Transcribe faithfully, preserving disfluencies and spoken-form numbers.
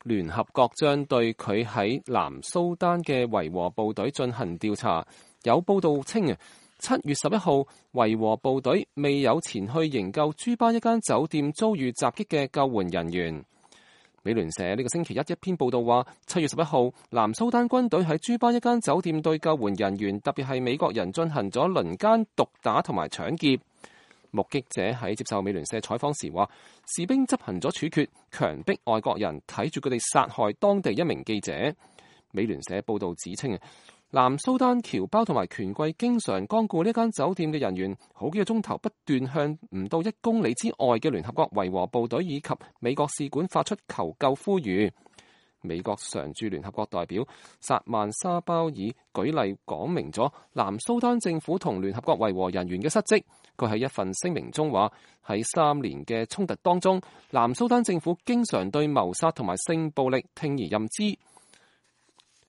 聯合國將對佢喺南蘇丹嘅維和部隊進行調查。有報道稱啊，七月十一號，維和部隊未有前去營救朱巴一間酒店遭遇襲擊嘅救援人員。美聯社呢個星期一一篇報道話，七月十一號，南蘇丹軍隊喺朱巴一間酒店對救援人員，特別係美國人進行咗輪姦、毒打同埋搶劫。目擊者喺接受美聯社採訪時話，士兵執行咗處決，強迫外國人睇住佢哋殺害當地一名記者。美聯社報道指稱啊，南蘇丹僑胞同埋權貴經常光顧呢間酒店嘅人員，好幾個鐘頭不斷向唔到一公里之外嘅聯合國維和部隊以及美國使館發出求救呼籲。美國常駐聯合國代表薩曼沙鮑爾舉例講明咗南蘇丹政府同聯合國維和人員嘅失職。佢喺一份聲明中話，喺三年嘅衝突當中，南蘇丹政府經常對謀殺同埋性暴力聽而任之。